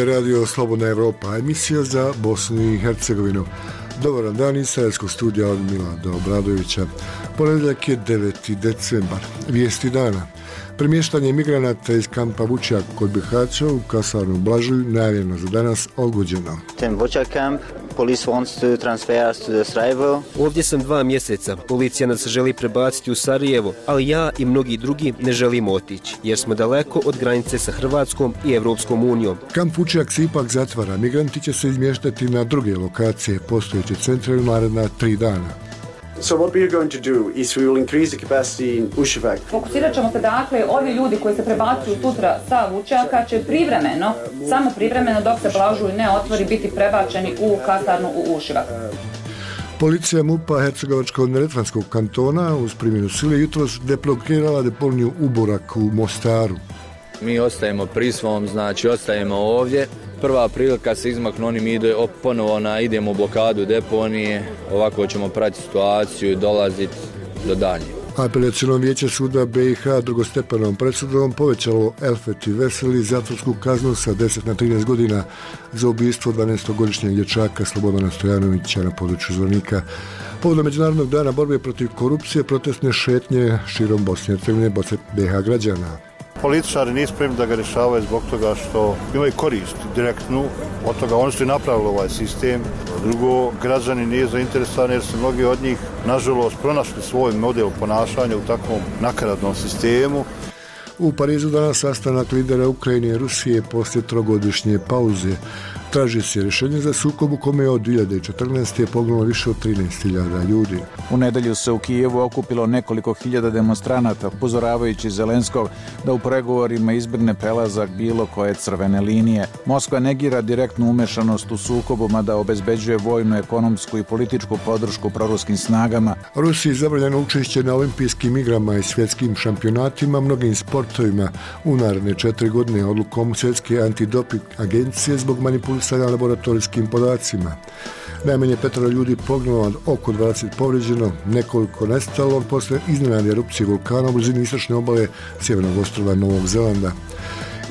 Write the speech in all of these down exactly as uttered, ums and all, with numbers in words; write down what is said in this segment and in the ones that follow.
je Radio Slobodna Evropa, emisija za Bosnu i Hercegovinu. Dobar dan iz Sarajevskog studija od Milada Obradovića. Ponedjeljak je deveti decembar. Vijesti dana. Premještanje migranata iz kampa Vučjak kod Bihaća u kasarnu Blažuj najavljeno za danas odgođeno. Ovdje sam dva mjeseca. Policija nas želi prebaciti u Sarajevo, ali ja i mnogi drugi ne želimo otići, jer smo daleko od granice sa Hrvatskom i Evropskom unijom. Kamp Vučjak se ipak zatvara. Migranti će se izmještati na druge lokacije postojeće centre u naredna tri dana. So what we are going to do is we will increase the capacity in Uševak. Fokusirat ćemo se, dakle, ovi ljudi koji se prebacuju sutra sa Vučjaka će privremeno, samo privremeno dok se Blažuj ne otvori, biti prebačeni u kasarnu u Uševak. Policija MUP-a Hercegovačko-neretvanskog kantona uz primjenu sile jutros deblokirala deponiju Uborak u Mostaru. Mi ostajemo pri svom, znači ostajemo ovdje. Prva prilika se izmaknu, oni mi ide ponovo na idemo u blokadu deponije, ovako ćemo pratiti situaciju i dolaziti do daljnje. Apelaciono vijeće suda B i H drugostepenom presudom povećalo Elfeti Veseli zatvorsku kaznu sa deset na trinaest godina za ubistvo dvanaestogodišnjeg dječaka Slobodana Stojanovića na području Zvornika. Povodom Međunarodnog dana borbe protiv korupcije protestne šetnje širom Bosne i Hercegovine B i H građana. Političari nisu spremni da ga rješavaju zbog toga što imaju korist direktnu od toga. Oni su i napravili ovaj sistem. Drugo, građani nije zainteresovani jer su mnogi od njih, nažalost, pronašli svoj model ponašanja u takvom nakaradnom sistemu. U Parizu danas sastanak lidera Ukrajine i Rusije poslije trogodišnje pauze. Traži se rješenje za sukob u kome je od dvije hiljade četrnaeste poginulo više od trinaest hiljada ljudi. U nedjelju se u Kijevu okupilo nekoliko hiljada demonstranata, upozoravajući Zelenskog da u pregovorima izbjegne prelazak bilo koje crvene linije. Moskva negira direktnu umešanost u sukobu, mada obezbeđuje vojnu, ekonomsku i političku podršku proruskim snagama. Rusiji je zabranjeno učešće na olimpijskim igrama i svjetskim šampionatima, mnogim sportovima u naredne četiri godine odlukom Svjetske antidoping agencije zbog manipulacije sa laboratorijskim podacima. Najmanje petero ljudi poginulo, oko dvadeset povrijeđeno, nekoliko nestalo posle iznenadne erupcije vulkana u blizini istočne obale sjevernog ostrva Novog Zelanda.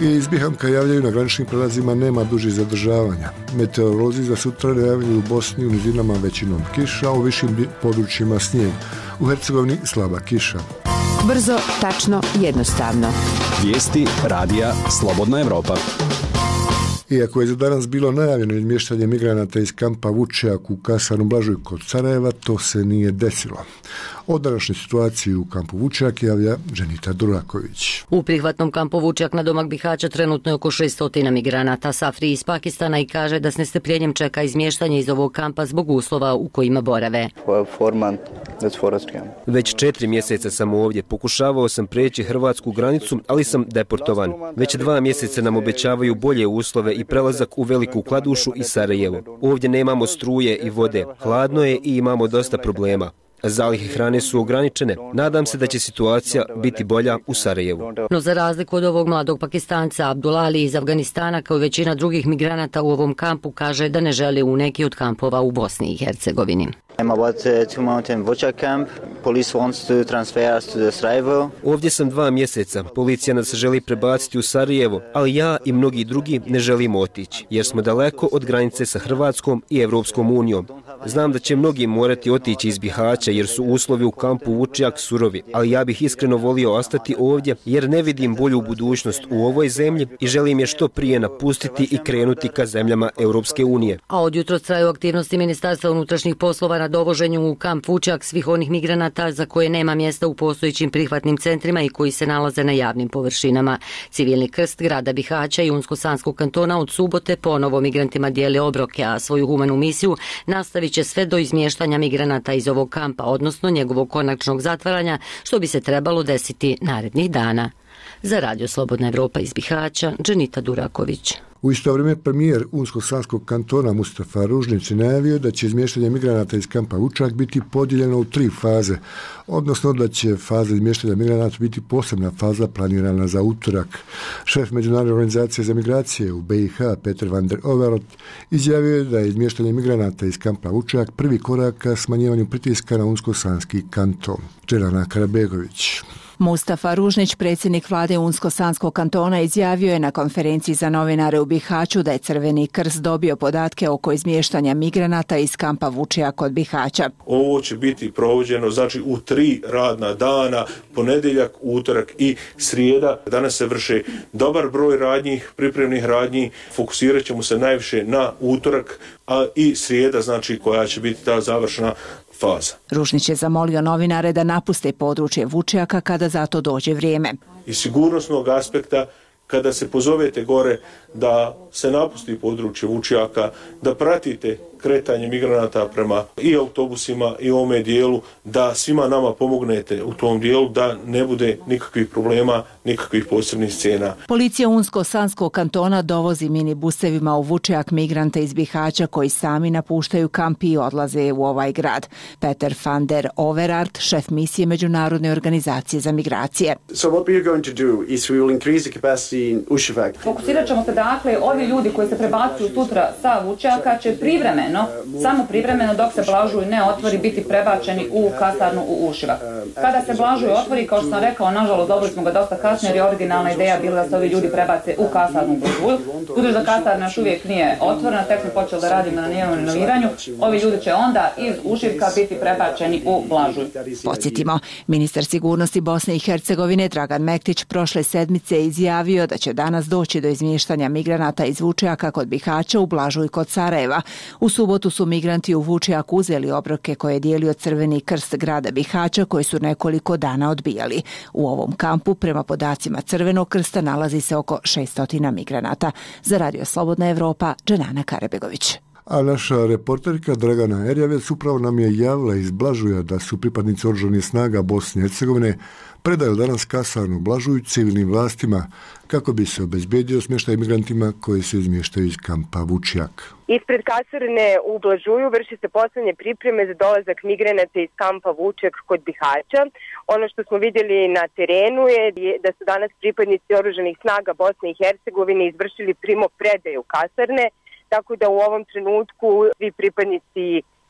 I iz Bihamka javljaju na graničnim prelazima nema dužih zadržavanja. Meteorolozi za sutra najavljuju u Bosni u nizinama većinom kiša, a u višim područjima snijeg. U Hercegovini slaba kiša. Brzo, tačno, jednostavno. Vijesti radija Slobodna Evropa. Iako je za danas bilo najavljeno izmještanje migranata iz kampa Vučjak u kasarnu Blažuj kod Sarajeva, to se nije desilo. O današnjoj situaciji u kampu Vučjak javlja Dženita Duraković. U prihvatnom kampu Vučjak na domak Bihaća trenutno je oko šessto migranata Safri iz Pakistana i kaže da s nestrpljenjem čeka izmještanje iz ovog kampa zbog uslova u kojima borave. Već četiri mjeseca sam ovdje. Pokušavao sam preći hrvatsku granicu, ali sam deportovan. Već dva mjeseca nam obećavaju bolje uslove i prelazak u Veliku Kladušu i Sarajevo. Ovdje nemamo struje i vode. Hladno je i imamo dosta problema. Zalihe hrane su ograničene. Nadam se da će situacija biti bolja u Sarajevu. No za razliku od ovog mladog Pakistanca, Abdulali iz Afganistana, kao i većina drugih migranata u ovom kampu, kaže da ne žele u neki od kampova u Bosni i Hercegovini. Ovdje sam dva mjeseca. Policija nas želi prebaciti u Sarajevo, ali ja i mnogi drugi ne želimo otići, jer smo daleko od granice sa Hrvatskom i Evropskom unijom. Znam da će mnogi morati otići iz Bihaća jer su uslovi u kampu Vučjak surovi, ali ja bih iskreno volio ostati ovdje jer ne vidim bolju budućnost u ovoj zemlji i želim je što prije napustiti i krenuti ka zemljama Europske unije. A od jutros traju aktivnosti Ministarstva unutrašnjih poslova na dovoženju u kamp Vučjak svih onih migranata za koje nema mjesta u postojećim prihvatnim centrima i koji se nalaze na javnim površinama. Civilni krst grada Bihaća i Unsko-Sanskog kantona od subote ponovo migrantima dijele obroke, a svoju humanu misiju nastavit će sve do izmještanja migranata iz ovog kampa, odnosno njegovog konačnog zatvaranja, što bi se trebalo desiti narednih dana. Za Radio Slobodna Evropa iz Bihaća, Dženita Duraković. U isto vrijeme premijer Unsko-Sanskog kantona Mustafa Ružnić je najavio da će izmještanje migranata iz kampa Vučjak biti podijeljeno u tri faze, odnosno da će faza izmještanja migranata biti posebna faza planirana za utorak. Šef Međunarodne organizacije za migracije u B i H Peter van der Overot izjavio je da je izmještanje migranata iz kampa Vučjak prvi korak ka smanjivanju pritiska na Unsko-Sanski kanton. Čelana Karabegović. Mustafa Ružnić, predsjednik vlade Unsko-Sanskog kantona, izjavio je na konferenciji za novinare u Bihaću da je Crveni krst dobio podatke oko izmještanja migranata iz kampa Vučija kod Bihaća. Ovo će biti provođeno znači u tri radna dana, ponedjeljak, utorak i srijeda. Danas se vrše dobar broj radnji, pripremnih radnji, fokusirat ćemo se najviše na utorak, a i srijeda znači koja će biti ta završna faza. Ružnić je zamolio novinare da napuste područje Vučjaka kada za to dođe vrijeme. Iz sigurnosnog aspekta, kada se pozovete gore da se napusti područje Vučjaka, da pratite kretanje migranata prema i autobusima i ovome dijelu, da svima nama pomognete u tom dijelu, da ne bude nikakvih problema, nikakvih posebnih scena. Policija Unsko-Sanskog kantona dovozi minibusevima u Vučjak migrante iz Bihaća koji sami napuštaju kamp i odlaze u ovaj grad. Peter van der Overart, šef misije Međunarodne organizacije za migracije. So what we are going to do is we will increase the capacity in Uševak. Fokusirat ćemo se dakle, ovi ljudi koji se prebacuju sutra sa Vučjaka će privremeno, samo privremeno dok se Blažuj ne otvori, biti prebačeni u kasarnu u Ušivak. Kada se Blažuj otvori, kao što sam rekao, nažalost dobili smo ga dosta kasnije jer je originalna ideja bila da se ovi ljudi prebace u kasarnu u Blažuju. Budući da kasarna još uvijek nije otvorena, tek smo počeli da radimo na njenom renoviranju, ovi ljudi će onda iz Ušivka biti prebačeni u Blažuj. Podsjetimo, ministar sigurnosti Bosne i Hercegovine Dragan Mektić prošle sedmice izjavio da će danas doći do izmještanja migranata iz Vučjaka kod Bihaća u Blažuj kod Sarajeva. U subotu su migranti u Vučjak uzeli obroke koje je dijelio Crveni krst grada Bihaća koji su nekoliko dana odbijali. U ovom kampu, prema podacima Crvenog krsta, nalazi se oko šesto migranata. Za Radio Slobodna Evropa, Dženana Karebegović. A naša reporterka Dragana Erjavec upravo nam je javila iz Blažuja da su pripadnici oružanih snaga Bosne i Hercegovine predali danas kasarnu Blažuj civilnim vlastima kako bi se obezbedio smještaj migrantima koji se izmještaju iz kampa Vučjak. Ispred kasarne u Blažuju vrši se posljednje pripreme za dolazak migranata iz kampa Vučjak kod Bihaća. Ono što smo vidjeli na terenu je da su danas pripadnici oružanih snaga Bosne i Hercegovine izvršili primopredaju kasarne, tako da u ovom trenutku svi pripadnici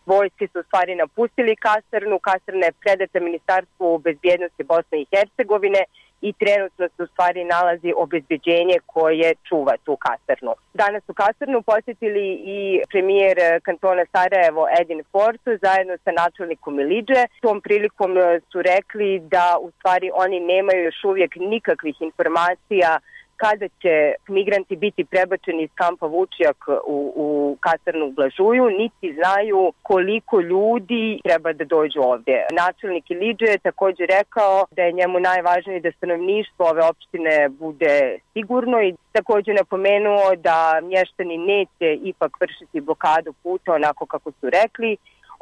vojske su u stvari napustili kasarnu. Kasarna je predata Ministarstvu bezbjednosti Bosne i Hercegovine i trenutno se u stvari nalazi obezbeđenje koje čuva tu kasarnu. Danas u kasarnu posjetili i premijer kantona Sarajevo Edin Forsu zajedno sa načelnikom Ilidže. Tom prilikom su rekli da u stvari oni nemaju još uvijek nikakvih informacija kada će migranti biti prebačeni iz kampa Vučjak u, u kasarnu u Blažuju, niti znaju koliko ljudi treba da dođu ovdje. Načelnik Ilidže je također rekao da je njemu najvažnije da stanovništvo ove opštine bude sigurno i također napomenuo da mještani neće ipak vršiti blokadu puta onako kako su rekli.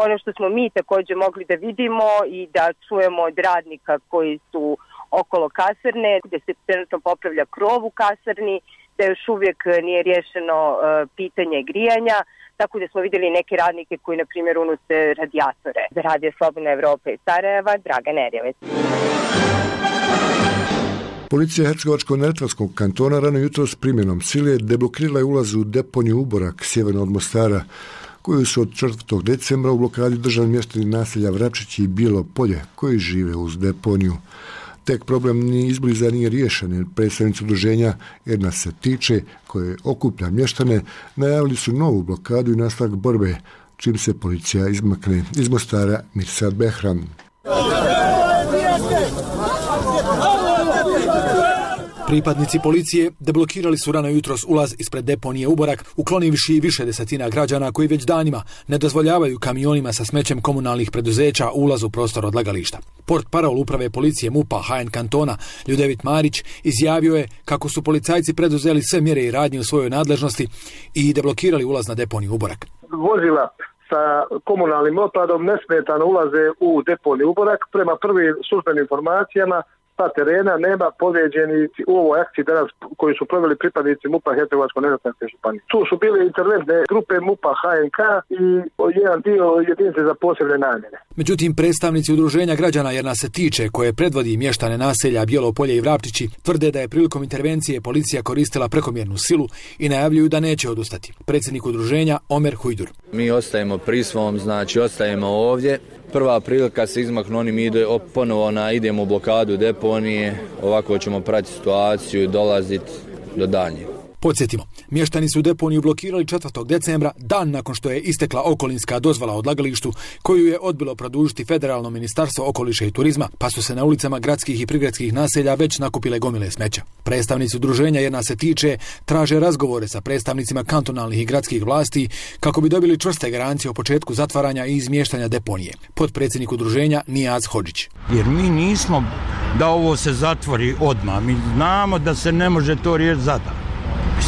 Ono što smo mi također mogli da vidimo i da čujemo od radnika koji su okolo kasarne, gdje se trenutno popravlja krov u kasarni, da još uvijek nije rješeno uh, pitanje grijanja, tako da smo vidjeli neke radnike koji, na primjer, unose radijatore. Za Radio Slobodna Evropa iz Sarajeva, Dragan Erjavec. Policija Hercegovačko-neretvanskog kantona rano jutro s primjenom sile deblokirala je ulaz u deponiju Uborak sjeverno od Mostara, koju su od četvrtog decembra u blokadi držali mještani naselja Vrapčić i Bijelo Polje, koji žive uz deponiju. Tek problem ni izbliza nije riješen, jer predstavnici udruženja Jedna se tiče, koje okuplja mještane, najavili su novu blokadu i nastavak borbe, čim se policija izmakne. Iz Mostara, Mirsad Behram. Pripadnici policije deblokirali su rano jutros ulaz ispred deponije Uborak, uklonivši više desetina građana koji već danima ne dozvoljavaju kamionima sa smećem komunalnih preduzeća ulaz u prostor odlagališta. Port parol uprave policije MUP-a H N kantona Ljudevit Marić izjavio je kako su policajci preduzeli sve mjere i radnje u svojoj nadležnosti i deblokirali ulaz na deponiju Uborak. Vozila sa komunalnim otpadom nesmetano ulaze u deponiju Uborak. Prema prvim službenim informacijama sa terena nema povrijeđenih u ovoj akciji danas koji su proveli pripadnici MUP-a Hercegovačko-neretvanske županije. Tu su bile interventne grupe MUP-a H N K i jedan dio jedinice za posebne namjene. Međutim, predstavnici udruženja građana Jedna se tiče, koje predvodi mještane naselja Bijelo Polje i Vrapčići, tvrde da je prilikom intervencije policija koristila prekomjernu silu i najavljuju da neće odustati. Predsjednik udruženja Omer Hujdur. Mi ostajemo pri svom, znači ostajemo ovdje. Prva prilika se izmaknu, oni mi ide, ponovo na, idemo u blokadu deponije, ovako ćemo pratiti situaciju i dolaziti do daljnjeg. Podsjetimo, mještani su deponiju blokirali četvrtog decembra, dan nakon što je istekla okolinska dozvola odlagalištu, koju je odbilo produžiti Federalno ministarstvo okoliša i turizma, pa su se na ulicama gradskih i prigradskih naselja već nakupile gomile smeća. Predstavnici udruženja Jer nas se tiče traže razgovore sa predstavnicima kantonalnih i gradskih vlasti kako bi dobili čvrste garancije o početku zatvaranja i izmještanja deponije. Potpredsjednik udruženja Nijaz Hodžić. Jer mi nismo da ovo se zatvori odmah, mi znamo da se ne može to riješiti sada.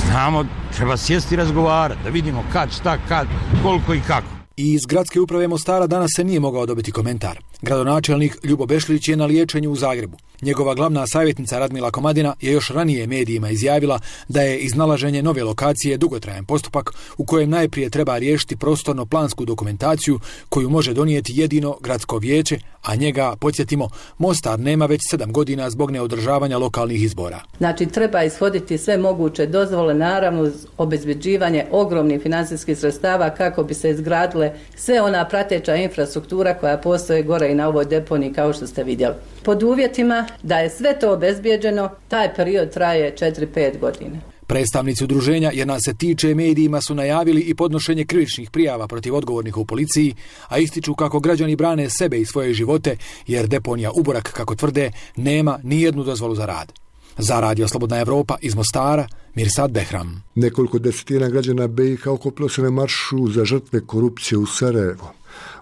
Znamo, treba sjesti i razgovarati, da vidimo kad, šta, kad, koliko i kako. I iz gradske uprave Mostara danas se nije mogao dobiti komentar. Gradonačelnik Ljubo Bešlić je na liječenju u Zagrebu. Njegova glavna savjetnica Radmila Komadina je još ranije medijima izjavila da je iznalaženje nove lokacije dugotrajan postupak u kojem najprije treba riješiti prostorno-plansku dokumentaciju koju može donijeti jedino gradsko vijeće, a njega, podsjetimo, Mostar nema već sedam godina zbog neodržavanja lokalnih izbora. Znači treba ishoditi sve moguće dozvole, naravno uz obezbeđivanje ogromnih financijskih sredstava kako bi se izgradile sve ona prateća infrastruktura koja postoje gore i na ovoj deponiji kao što ste vidjeli. Pod uvjetima da je sve to obezbijeđeno, taj period traje četiri pet godine. Predstavnici udruženja Jer nas se tiče medijima su najavili i podnošenje krivičnih prijava protiv odgovornih u policiji, a ističu kako građani brane sebe i svoje živote jer deponija Uborak, kako tvrde, nema ni jednu dozvolu za rad. Za Radio Slobodna Evropa iz Mostara, Mirsad Behram. Nekoliko desetina građana B i H okupilo se na maršu za žrtve korupcije u Sarajevo.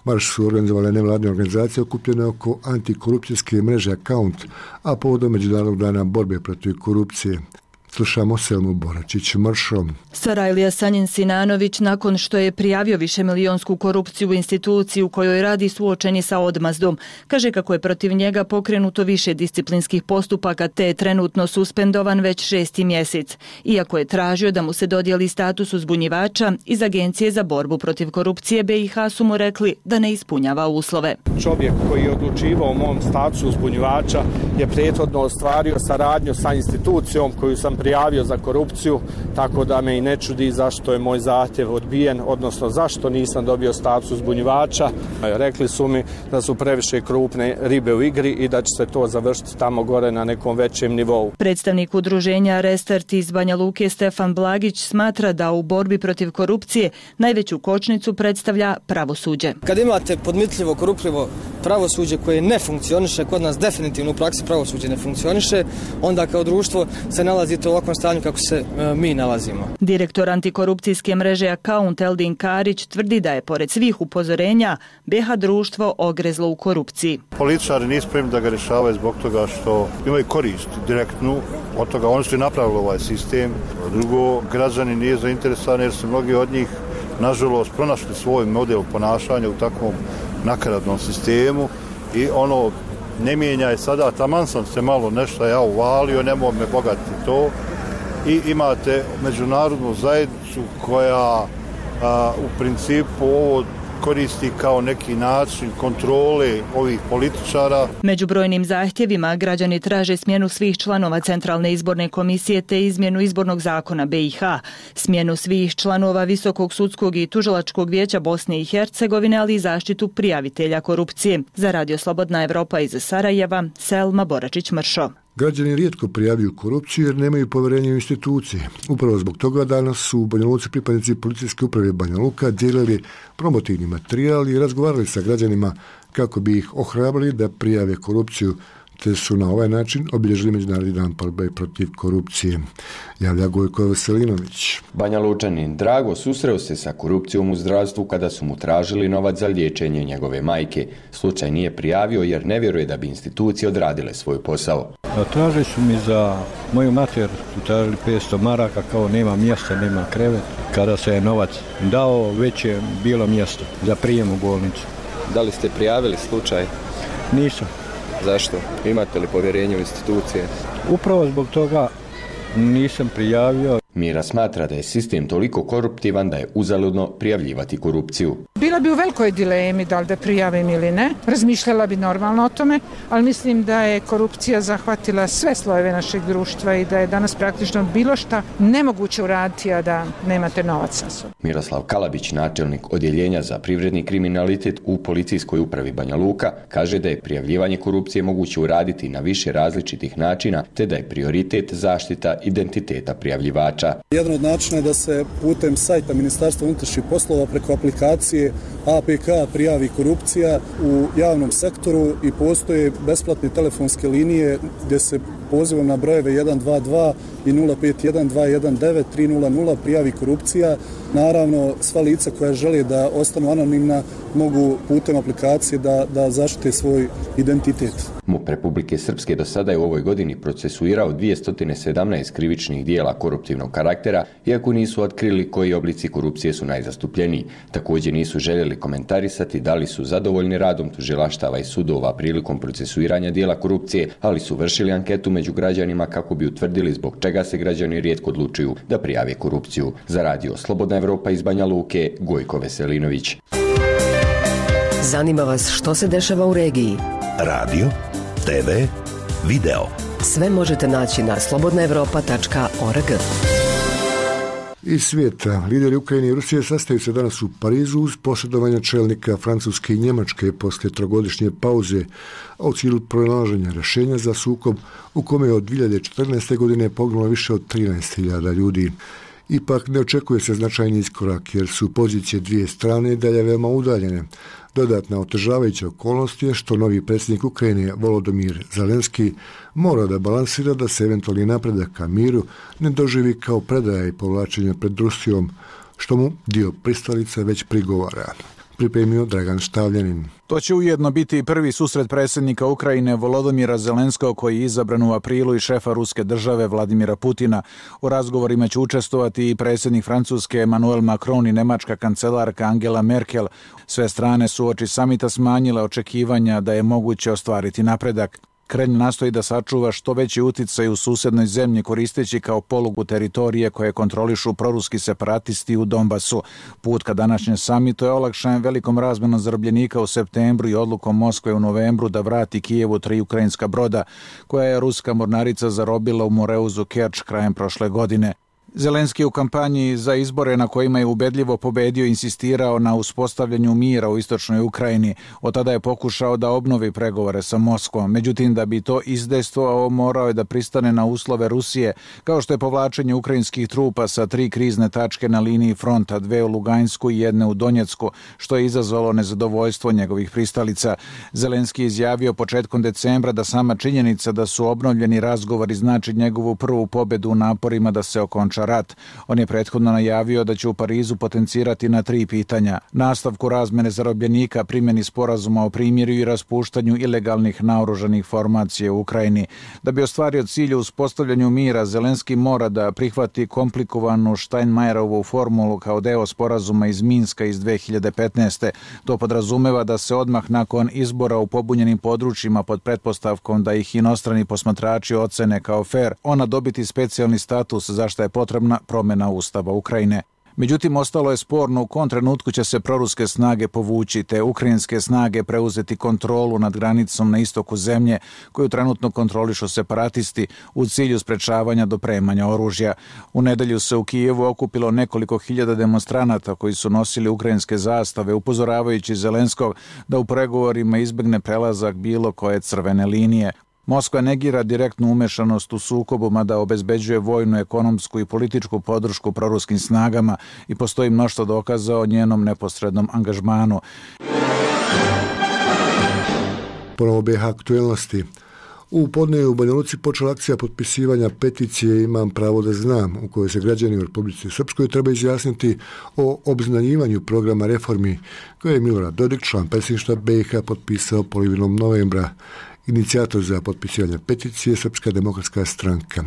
Marš su organizovale nevladne organizacije okupljene oko antikorupcijske mreže Account, a povodom Međunarodnog dana borbe protiv korupcije. Slušamo Selmu Boračić maršom. Sarajlija Sanjin Sinanović, nakon što je prijavio višemilijonsku korupciju u instituciji u kojoj radi, suočen je sa odmazdom. Kaže kako je protiv njega pokrenuto više disciplinskih postupaka te je trenutno suspendovan već šesti mjesec. Iako je tražio da mu se dodijeli status uzbunjivača, iz Agencije za borbu protiv korupcije B i H su mu rekli da ne ispunjava uslove. Čovjek koji je odlučivao o mom statusu uzbunjivača je prethodno ostvario saradnju sa institucijom koju sam prijavio za korupciju, tako da me i ne čudi zašto je moj zahtjev odbijen, odnosno zašto nisam dobio status uzbunjivača. Rekli su mi da su previše krupne ribe u igri i da će se to završiti tamo gore na nekom većem nivou. Predstavnik udruženja Restart iz Banja Luke Stefan Blagić smatra da u borbi protiv korupcije najveću kočnicu predstavlja pravosuđe. Kad imate podmitljivo, korupljivo pravosuđe koje ne funkcioniše, kod nas definitivno u praksi pravosuđe ne funkcioniše, onda kao društvo se nalazite u ovakvom stanju kako se e, mi nalazimo. Direktor antikorupcijske mreže Account Eldin Karić tvrdi da je pored svih upozorenja B H društvo ogrezlo u korupciji. Političari nisu spremni da ga rješavaju zbog toga što imaju korist direktnu od toga. Oni su i napravili ovaj sistem. Drugo, građani nije zainteresovani jer su mnogi od njih nažalost pronašli svoj model ponašanja u takvom nakaradnom sistemu i ono ne mijenja je sada, taman sam se malo nešto ja uvalio, ne mogu me bogatiti to. I imate međunarodnu zajednicu koja a, u principu ovo koristi kao neki način kontrole ovih političara. Među brojnim zahtjevima građani traže smjenu svih članova Centralne izborne komisije te izmjenu izbornog zakona B i H, smjenu svih članova Visokog sudskog i tužilačkog vijeća Bosne i Hercegovine, ali i zaštitu prijavitelja korupcije. Za Radio Slobodna Evropa iz Sarajeva, Selma Boračić-Mršo. Građani rijetko prijavljuju korupciju jer nemaju povjerenja u institucije. Upravo zbog toga danas su u Banja Luci pripadnici policijske uprave Banja Luka dijelili promotivni materijal i razgovarali sa građanima kako bi ih ohrabrili da prijave korupciju, te su na ovaj način obilježili Međunarodni dan borbe protiv korupcije. Javlja Gojko Veselinović. Banja Lučanin Drago susreo se sa korupcijom u zdravstvu kada su mu tražili novac za liječenje njegove majke. Slučaj nije prijavio jer ne vjeruje da bi institucije odradile svoj posao. Tražili su mi za moju mater, tražili petsto maraka, kao nema mjesta, nema krevet. Kada se je novac dao, već je bilo mjesto za prijem u bolnicu. Da li ste prijavili slučaj? Nisam. Zašto? Imate li povjerenje u institucije? Upravo zbog toga nisam prijavio. Mira smatra da je sistem toliko koruptivan da je uzaludno prijavljivati korupciju. bila bi u velikoj dilemi da li da prijavim ili ne. Razmišljala bi normalno o tome, ali mislim da je korupcija zahvatila sve slojeve našeg društva i da je danas praktično bilo šta nemoguće uraditi, a da nemate novac sa sobom. Miroslav Kalabić, načelnik odjeljenja za privredni kriminalitet u policijskoj upravi Banja Luka, kaže da je prijavljivanje korupcije moguće uraditi na više različitih načina, te da je prioritet zaštita identiteta prijavljivača. Jedan od načina je da se putem sajta Ministarstva unutrašnjih poslova preko aplikacije A P K prijavi korupcija u javnom sektoru i postoje besplatne telefonske linije gdje se pozivom na brojeve jedan dva dva i nula pet jedan dva jedan devet tri nula nula prijavi korupcija. Naravno, sva lica koja žele da ostanu anonimna mogu putem aplikacije da, da zaštite svoj identitet. MUP Republike Srpske do sada je u ovoj godini procesuirao dvjesto sedamnaest krivičnih dijela koruptivnog karaktera, iako nisu otkrili koji oblici korupcije su najzastupljeniji. Također nisu željeli komentarisati da li su zadovoljni radom tužilaštava i sudova prilikom procesuiranja dijela korupcije, ali su vršili anketu među građanima kako bi utvrdili zbog čega se građani rijetko odlučuju da prijave korupciju. Za radio Slobodna Evropa iz Banja Luke, Gojko Veselinović. Zanima vas što se dešava u regiji? Radio, te ve, video. Sve možete naći na slobodna evropa tačka org. Iz svijeta, lideri Ukrajine i Rusije sastaju se danas u Parizu uz posredovanje čelnika Francuske i Njemačke poslije trogodišnje pauze, a u cilju pronalaženja rješenja za sukob u kome je od dvije hiljade četrnaeste. godine poginulo više od trinaest hiljada ljudi. Ipak ne očekuje se značajni iskorak jer su pozicije dvije strane dalje veoma udaljene. Dodatna otežavajuća okolnost je što novi predsjednik Ukrajine Volodymyr Zelenski mora da balansira da se eventualni napredak ka miru ne doživi kao predaja i povlačenje pred Rusijom, što mu dio pristalica već prigovara. Pripremio Dragan Štavljanin. To će ujedno biti i prvi susret predsjednika Ukrajine Volodymyra Zelenskog, koji je izabran u aprilu, i šefa ruske države Vladimira Putina. U razgovorima će učestovati i predsjednik Francuske Emmanuel Macron i nemačka kancelarka Angela Merkel. Sve strane su uoči samita smanjile očekivanja da je moguće ostvariti napredak. Kremlj nastoji da sačuva što veći uticaj u susednoj zemlji koristeći kao polugu teritorije koje kontrolišu proruski separatisti u Donbasu. Put ka današnjem samitu je olakšan velikom razmenom zarobljenika u septembru i odlukom Moskve u novembru da vrati Kijevu tri ukrajinska broda koja je ruska mornarica zarobila u Moreuzu Kerč krajem prošle godine. Zelenski je u kampanji za izbore na kojima je ubedljivo pobedio insistirao na uspostavljanju mira u istočnoj Ukrajini. Od tada je pokušao da obnovi pregovore sa Moskvom. Međutim, da bi to izdejstvovao, morao je da pristane na uslove Rusije, kao što je povlačenje ukrajinskih trupa sa tri krizne tačke na liniji fronta, dve u Lugansku i jedne u Donjecku, što je izazvalo nezadovoljstvo njegovih pristalica. Zelenski je izjavio početkom decembra da sama činjenica da su obnovljeni razgovori znači njegovu prvu pobedu u naporima da se okonča rat. On je prethodno najavio da će u Parizu potencirati na tri pitanja: nastavku razmene zarobljenika, primjeni sporazuma o primirju i raspuštanju ilegalnih naoružanih formacija u Ukrajini. Da bi ostvario cilj u uspostavljanju mira, Zelenski mora da prihvati komplikovanu Steinmeierovu formulu kao deo sporazuma iz Minska iz dve hiljade petnaeste. To podrazumeva da se odmah nakon izbora u pobunjenim područjima pod pretpostavkom da ih inostrani posmatrači ocene kao fair, ona dobiti specijalni status za što je potrebna promjena Ustava Ukrajine. Međutim, ostalo je sporno u kom trenutku će se proruske snage povući, te ukrajinske snage preuzeti kontrolu nad granicom na istoku zemlje, koju trenutno kontrolišu separatisti u cilju sprečavanja dopremanja oružja. U nedelju se u Kijevu okupilo nekoliko hiljada demonstranata koji su nosili ukrajinske zastave, upozoravajući Zelenskog da u pregovorima izbjegne prelazak bilo koje crvene linije. Moskva negira direktnu umešanost u sukobu, mada obezbeđuje vojnu, ekonomsku i političku podršku proruskim snagama i postoji mnoštvo dokaza o njenom neposrednom angažmanu. Ponovo B H aktuelnosti. U podnevu u Banja Luci počela akcija potpisivanja peticije Imam pravo da znam, u kojoj se građani u Republici Srpskoj treba izjasniti o obznanjivanju programa reformi koje je Milorad Dodik, član predsjedništva B H, potpisao polovinom novembra. Inicijator za potpisivanje peticije Srpska demokratska stranka.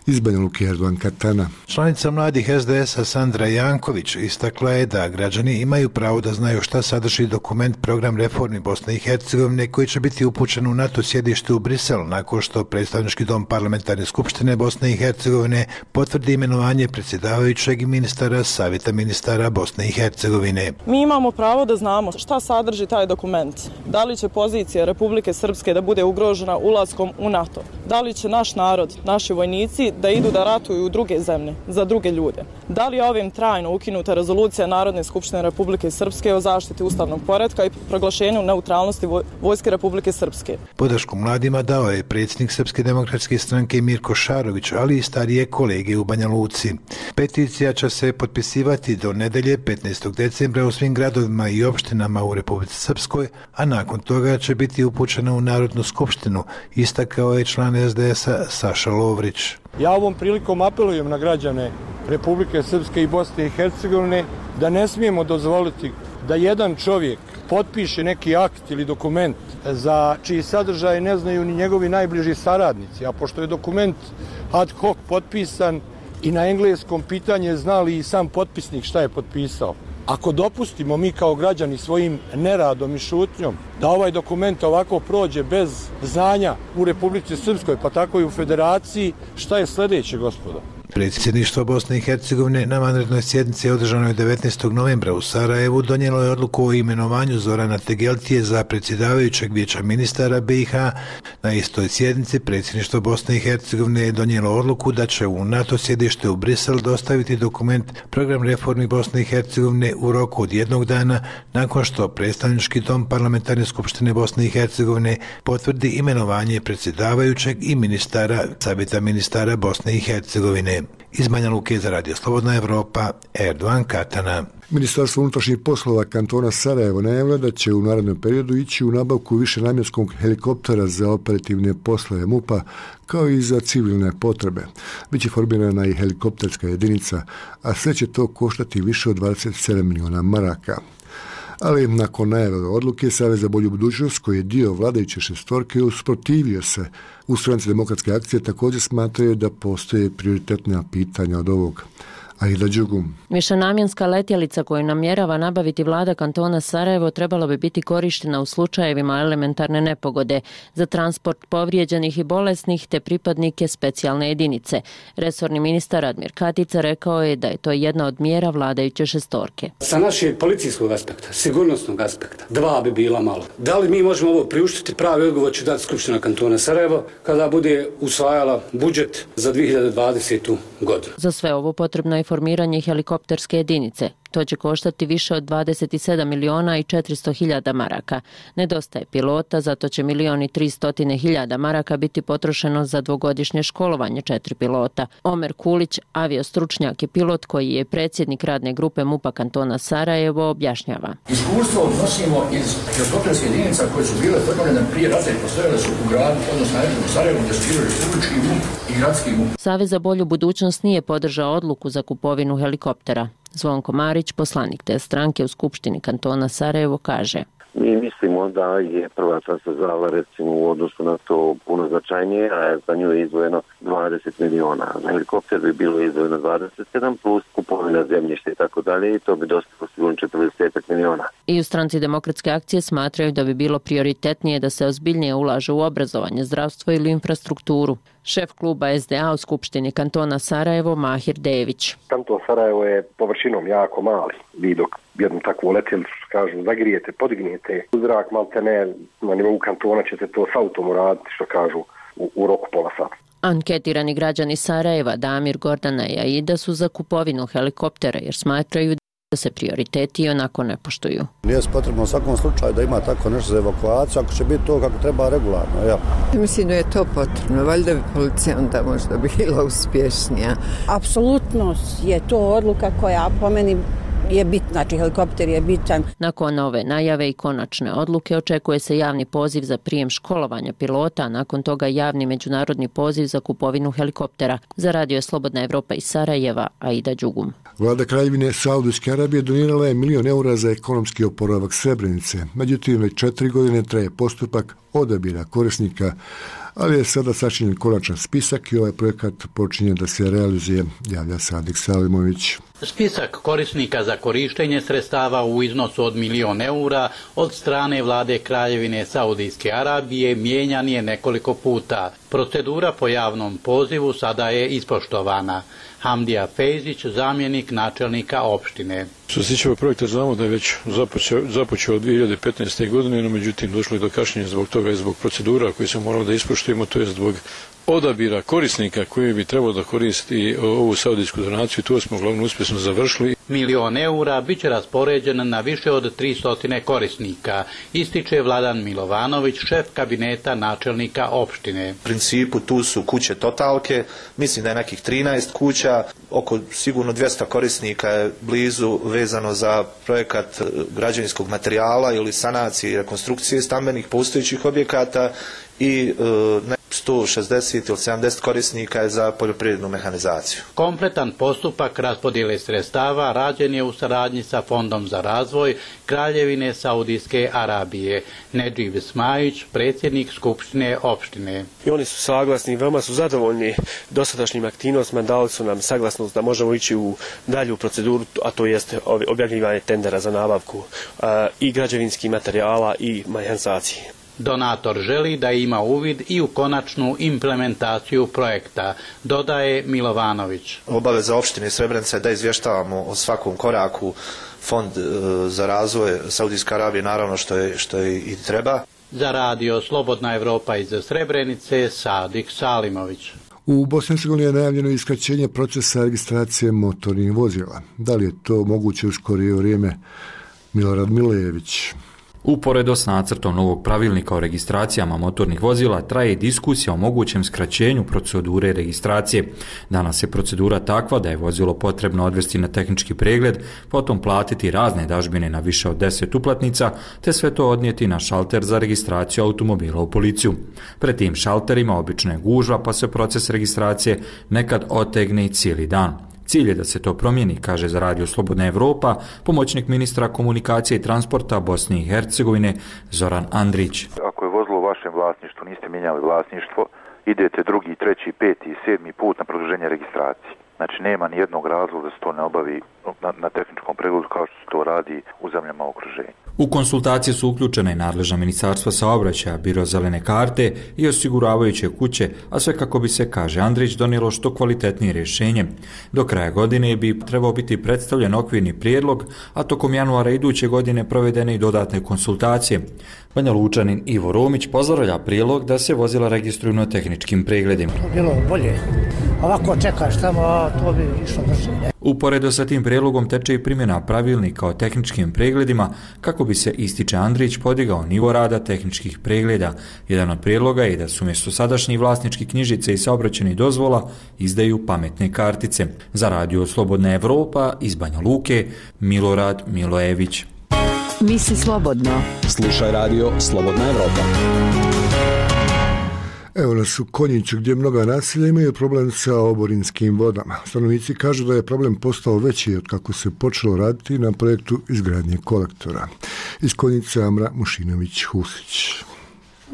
Iz Banja Luke, Erdogan Katana. Članica mladih es de esa Sandra Janković istakla je da građani imaju pravo da znaju šta sadrži dokument Program reformi Bosne i Hercegovine koji će biti upućen u NATO sjedište u Brisel nakon što predstavnički dom Parlamentarne skupštine Bosne i Hercegovine potvrdi imenovanje predsjedavajućeg i ministara Savjeta ministara Bosne i Hercegovine. Mi imamo pravo da znamo šta sadrži taj dokument. Da li će pozicija Republike Srpske da bude ugrožena ulaskom u NATO? Da li će naš narod, naši vojnici da idu da ratuju u druge zemlje, za druge ljude? Da li je ovim trajno ukinuta rezolucija Narodne skupštine Republike Srpske o zaštiti ustavnog poretka i proglašenju neutralnosti Vojske Republike Srpske? Podršku mladima dao je predsjednik Srpske demokratske stranke Mirko Šarović, ali i starije kolege u Banja Luci. Peticija će se potpisivati do nedelje petnaestog decembra u svim gradovima i opštinama u Republici Srpskoj, a nakon toga će biti upućena u Narodnu skupštinu, istakao je član es de esa Saša Lovrić. Ja ovom prilikom apelujem na građane Republike Srpske i Bosne i Hercegovine da ne smijemo dozvoliti da jedan čovjek potpiše neki akt ili dokument za čiji sadržaj ne znaju ni njegovi najbliži saradnici, a pošto je dokument ad hoc potpisan i na engleskom, pitanje znali i sam potpisnik šta je potpisao. Ako dopustimo mi kao građani svojim neradom i šutnjom da ovaj dokument ovako prođe bez znanja u Republici Srpskoj, pa tako i u Federaciji, šta je sljedeće, gospodo? Predsjedništvo Bosne i Hercegovine na vanrednoj sjednici održanoj devetnaestog novembra u Sarajevu donijelo je odluku o imenovanju Zorana Tegeltije za predsjedavajućeg vijeća ministara be i ha. Na istoj sjednici predsjedništvo Bosne i Hercegovine je donijelo odluku da će u NATO sjedište u Brisel dostaviti dokument Program reformi Bosne i Hercegovine u roku od jednog dana nakon što predstavnički dom Parlamentarne skupštine Bosne i Hercegovine potvrdi imenovanje predsjedavajućeg i ministara Savjeta ministara Bosne i Hercegovine. Iz Banja Luke za Radio Slobodna Evropa, Erdogan Katana. Ministarstvo unutrašnjih poslova kantona Sarajevo najavilo da će u narednom periodu ići u nabavku višenamjenskog helikoptera za operativne poslove MUP-a kao i za civilne potrebe. Biće formirana i helikopterska jedinica, a sve će to koštati više od dvadeset sedam miliona maraka. Ali nakon najave odluke, Savez za bolju budućnost, koji je dio vladajuće šestorke, usprotivio se. U Stranci demokratske akcije također smatraju da postoje prioritetna pitanja od ovog. Aida Đugum. Višenamjenska letjelica koju namjerava nabaviti vlada kantona Sarajevo trebala bi biti korištena u slučajevima elementarne nepogode za transport povrijeđenih i bolesnih te pripadnike specijalne jedinice. Resorni ministar Admir Katica rekao je da je to jedna od mjera vladajuće šestorke. Sa našeg policijskog aspekta, sigurnosnog aspekta, dva bi bila malo. Da li mi možemo ovo priuštiti? Pravi odgovor će dati Skupština kantona Sarajevo kada bude usvajala budžet za dvije hiljade dvadesetu. godinu. Za sve ovo potrebno je formiranje helikopterske jedinice. To će koštati više od dvadeset sedam miliona i četiristo hiljada maraka. Nedostaje pilota, zato će milion i tristo hiljada maraka biti potrošeno za dvogodišnje školovanje četiri pilota. Omer Kulić, aviostručnjak i pilot koji je predsjednik radne grupe MUP-a kantona Sarajevo, objašnjava. Iskustvo nosimo iz helikopterskih jedinica koje su bile formirane prije rata i postojale su u gradu, odnosno u Sarajevu, gdje su bili republički MUP i gradski MUP. Savez za bolju budućnost nije podržao odluku za kupovinu helikoptera. Zvonko Marić, poslanik te stranke u Skupštini kantona Sarajevo, kaže: Mi mislimo da je prva transverzala recimo u odnosu na to puno značajnije, a za nju je izdvojeno dvadeset miliona. Za helikopter bi bilo izdvojeno dvadeset sedam plus kupovina zemljišta i tako dalje i to bi dostalo sigurno četrdeset miliona. I u Stranci demokratske akcije smatraju da bi bilo prioritetnije da se ozbiljnije ulaže u obrazovanje, zdravstvo ili infrastrukturu. Šef kluba es de a u Skupštini kantona Sarajevo, Mahir Dević. Kanton Sarajevo je površinom jako mali. Vi dok jednu takvu letjelicu, kažu, zagrijete, podignijete u zrak, malte ne, na nivou kantona ćete to s autom uraditi, što kažu, u, u roku pola sata. Anketirani građani Sarajeva, Damir, Gordana i Aida, su za kupovinu helikoptera jer smatraju da se prioriteti onako ne poštuju. Nije potrebno u svakom slučaju da ima tako nešto za evakuaciju, ako će biti to kako treba regularno. Ja. Mislim da je to potrebno, valjda bi policija onda možda bila uspješnija. Apsolutno je to odluka koja po meni je bitna, znači helikopter je bitan. Nakon ove najave i konačne odluke očekuje se javni poziv za prijem školovanja pilota, a nakon toga javni međunarodni poziv za kupovinu helikoptera. Za Radio Slobodna Evropa iz Sarajeva, Aida Đugum. Vlada Kraljevine Saudijske Arabije donirala je milion eura za ekonomski oporavak Srebrenice. Međutim, već četiri godine traje postupak odabira korisnika, ali je sada sačinjen konačan spisak i ovaj projekat počinje da se realizuje, javlja Sadik Salimović. Spisak korisnika za korištenje sredstava u iznosu od milion eura od strane vlade Kraljevine Saudijske Arabije mijenjan je nekoliko puta. Procedura po javnom pozivu sada je ispoštovana. Hamdija Fejzić, zamjenik načelnika opštine. Što se tiče ovog projekta, znamo da je već započeo, započeo od dvije hiljade petnaeste. godine, no međutim došlo je do kašnjenja zbog toga i zbog procedura koje se moralo da ispoštujemo, to je zbog odabira korisnika koji bi trebalo da koristi ovu saudijsku donaciju. To smo uglavnom uspješno završili. Milion eura bit će raspoređen na više od tristo korisnika, ističe Vladan Milovanović, šef kabineta načelnika opštine. U principu tu su kuće totalke, mislim da je nekih trinaest kuća, oko sigurno dvjesto korisnika je blizu vezano za projekat građevinskog materijala ili sanacije i rekonstrukcije stambenih postojećih objekata i e, sto šezdeset ili sedamdeset korisnika je za poljoprivrednu mehanizaciju. Kompletan postupak raspodjele sredstava rađen je u saradnji sa Fondom za razvoj Kraljevine Saudijske Arabije. Nedživ Smajić, predsjednik Skupštine opštine. I oni su saglasni, veoma su zadovoljni dosadašnjim aktivnostima, dali su nam saglasnost da možemo ići u dalju proceduru, a to jeste objavljivanje tendera za nabavku a, i građevinskih materijala i mehanizacije. Donator želi da ima uvid i u konačnu implementaciju projekta, dodaje Milovanović. Obaveza opštine Srebrenica je da izvještavamo o svakom koraku. Fond za razvoj Saudijske Arabije naravno što je, što je i treba. Za radio Slobodna Evropa iz Srebrenice, Sadik Salimović. U Bosni i Hercegovini je najavljeno iskraćenje procesa registracije motornih vozila. Da li je to moguće u skorije vrijeme? Milorad Milejević. Uporedo s nacrtom novog pravilnika o registracijama motornih vozila traje diskusija o mogućem skraćenju procedure registracije. Danas je procedura takva da je vozilo potrebno odvesti na tehnički pregled, potom platiti razne dažbine na više od deset uplatnica, te sve to odnijeti na šalter za registraciju automobila u policiju. Pred tim šalterima obično je gužva, pa se proces registracije nekad otegne i cijeli dan. Cilj je da se to promijeni, kaže za radio Slobodna Evropa pomoćnik ministra komunikacije i transporta Bosne i Hercegovine Zoran Andrić. Ako je vozilo u vašem vlasništvu, niste mijenjali vlasništvo, idete drugi, treći, peti i sedmi put na produženje registracije. Znači nema ni jednog razloga da se to ne obavi na, na tehničkom pregledu kao što se to radi u zemljama okruženja. U konsultacije su uključene i nadležna ministarstva saobraćaja, biro zelene karte i osiguravajuće kuće, a sve kako bi se, kaže Andrić, donijelo što kvalitetnije rješenje. Do kraja godine bi trebao biti predstavljen okvirni prijedlog, a tokom januara iduće godine provedene i dodatne konsultacije. Banja Lučanin Ivo Romić pozdravlja prijedlog da se vozila registruju na tehničkim pregledima. To bilo bolje. Ovako čekaš tamo, a to bi išlo brže. Uporedo sa tim prijedlogom teče i primjena pravilnika o tehničkim pregledima kako bi se, ističe Andrić, podigao nivo rada tehničkih pregleda. Jedan od prijedloga je da su umjesto sadašnjih vlasničkih knjižice i saobraćajnih dozvola izdaju pametne kartice. Za radio Slobodna Evropa iz Banja Luke, Milorad Milojević. Misli slobodno. Slušaj radio Slobodna Evropa. Evo nas u Konjiću gdje mnoga naselja imaju problem sa oborinskim vodama. Stanovnici kažu da je problem postao veći od kako se počelo raditi na projektu izgradnje kolektora. Iz Konjice Amra Mušinović-Husić.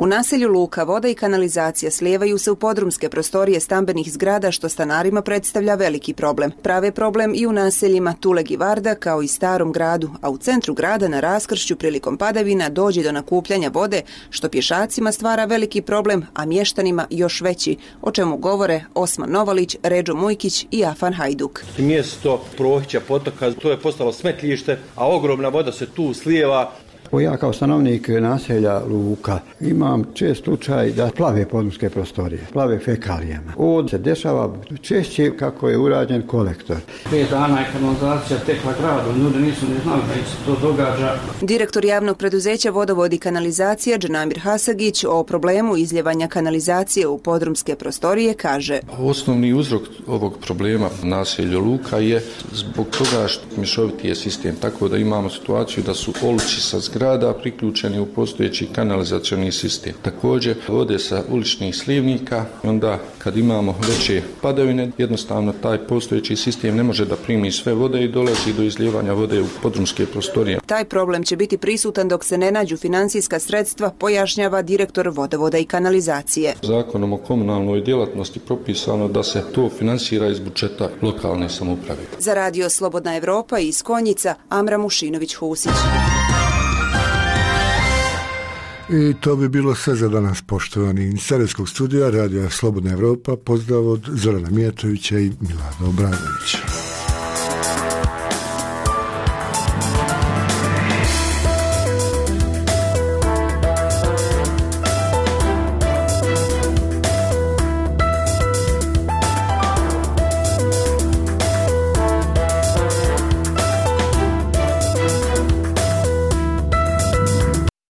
U naselju Luka voda i kanalizacija slijevaju se u podrumske prostorije stambenih zgrada što stanarima predstavlja veliki problem. Prave problem i u naseljima Tuleg i Varda kao i Starom gradu, a u centru grada na raskršću prilikom padavina dođe do nakupljanja vode što pješacima stvara veliki problem, a mještanima još veći, o čemu govore Osman Novalić, Ređo Mujkić i Afan Hajduk. Mjesto Prohića potoka, to je postalo smetljište, a ogromna voda se tu slijeva. Ja kao stanovnik naselja Luka imam čest slučaj da plave podrumske prostorije, plave fekalijama. Ovdje se dešava češće kako je urađen kolektor. Pet dana je kanalizacija tekla gradom, ljudi nisu ni znali da se to događa. Direktor javnog preduzeća Vodovod i kanalizacija Džanamir Hasagić o problemu izljevanja kanalizacije u podrumske prostorije kaže: Osnovni uzrok ovog problema naselja Luka je zbog toga što mješoviti je sistem, tako da imamo situaciju da su oluci sa zgrada zgrada priključeni u postojeći kanalizacioni sistem. Također vode sa uličnih slivnika, onda kad imamo veće padavine, jednostavno taj postojeći sistem ne može da primi sve vode i dolazi do izlijevanja vode u podrumske prostorije. Taj problem će biti prisutan dok se ne nađu financijska sredstva, pojašnjava direktor Vodovoda i kanalizacije. Zakonom o komunalnoj djelatnosti propisano da se to finansira iz budžeta lokalne samouprave. Za radio Slobodna Evropa iz Konjica, Amra Mušinović-Husić. I to bi bilo sve za danas, poštovani. Iz Sarajevskog studija radija Slobodna Evropa, pozdrav od Zorana Mijatovića i Milana Obradovića.